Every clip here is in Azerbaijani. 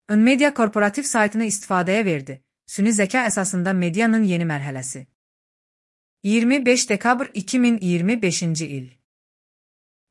Önmedia korporativ saytını istifadəyə verdi. Süni zəka əsasında medianın yeni mərhələsi. 25 dekabr 2025-ci il.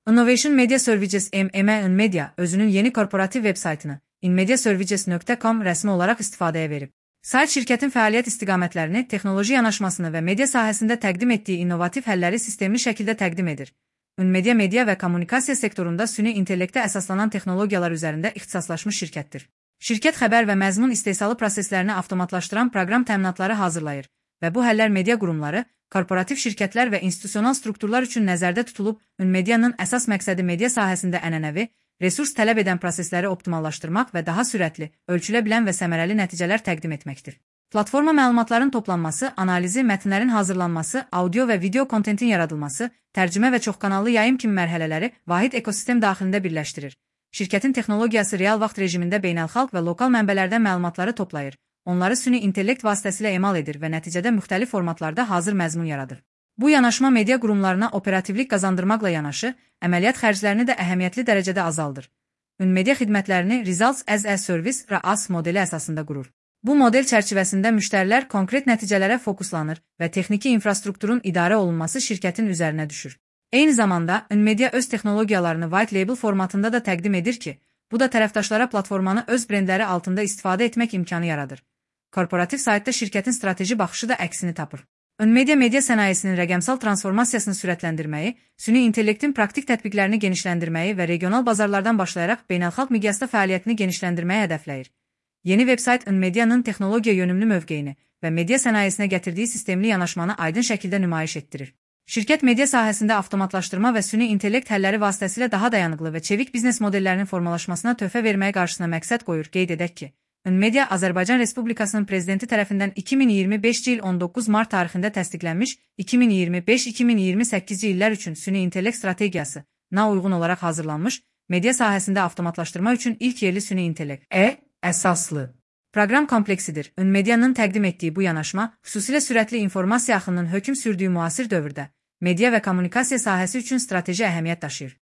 Innovation Media Services Önmedia özünün yeni korporativ web saytını inmediaservices.com rəsmi olaraq istifadəyə verib. Sayt şirkətin fəaliyyət istiqamətlərini, texnoloji yanaşmasını və media sahəsində təqdim etdiyi innovativ həlləri sistemli şəkildə təqdim edir. Önmedia media və kommunikasiya sektorunda süni intellektə əsaslanan texnologiyalar üzərində ixtisaslaşmış şirkətdir. Şirkət xəbər və məzmun istehsalı proseslərini avtomatlaşdıran proqram təminatları hazırlayır və bu həllər media qurumları, korporativ şirkətlər və institusional strukturlar üçün nəzərdə tutulub, Önmedianın əsas məqsədi media sahəsində ənənəvi, resurs tələb edən prosesləri optimallaşdırmaq və daha sürətli, ölçülə bilən və səmərəli nəticələr təqdim etməkdir. Platforma məlumatların toplanması, analizi, mətnlərin hazırlanması, audio və video kontentin yaradılması, tərcümə və çoxkanallı yayım kimi mərhələləri vahid ekosistem daxilində birləşdirir. Şirkətin texnologiyası real vaxt rejimində beynəlxalq və lokal mənbələrdən məlumatları toplayır, onları süni intellekt vasitəsilə emal edir və nəticədə müxtəlif formatlarda hazır məzmun yaradır. Bu yanaşma media qurumlarına operativlik qazandırmaqla yanaşı, əməliyyat xərclərini də əhəmiyyətli dərəcədə azaldır. Önmedia xidmətlərini Results as a Service (RAS) modeli əsasında qurur. Bu model çərçivəsində müştərilər konkret nəticələrə fokuslanır və texniki infrastrukturun idarə olunması şirkətin üzərinə düşür. Eyni zamanda, Önmedia öz texnologiyalarını white label formatında da təqdim edir ki, bu da tərəfdaşlara platformanı öz brendləri altında istifadə etmək imkanı yaradır. Korporativ saytda şirkətin strateji baxışı da əksini tapır. Önmedia media sənayesinin rəqəmsal transformasiyasını sürətləndirməyi, süni intellektin praktik tətbiqlərini genişləndirməyi və regional bazarlardan başlayaraq beynəlxalq miqyasda fəaliyyətini genişləndirməyi hədəfləyir. Yeni veb-sayt Önmedianın texnologiya yönümlü mövqeyini və media sənayesinə gətirdiyi sistemli yanaşmanı aydın şəkildə nümayiş etdirir. Şirkət media sahəsində avtomatlaşdırma və süni intellekt həlləri vasitəsilə daha dayanıqlı və çevik biznes modellərinin formalaşmasına töhfə verməyə qarşısına məqsəd qoyur. Qeyd edək ki, Önmedia Azərbaycan Respublikasının prezidenti tərəfindən 2025-ci il 19 mart tarixində təsdiqlənmiş 2025-2028-ci illər üçün süni intellekt strategiyasına uyğun olaraq hazırlanmış media sahəsində avtomatlaşdırma üçün ilk yerli süni intellekt əsaslı proqram kompleksidir. Önmedianın təqdim etdiyi bu yanaşma, xüsusilə sürətli informasiya axınının hökm sürdüyü müasir dövrdə media və kommunikasiya sahəsi üçün strateji əhəmiyyət daşıyır.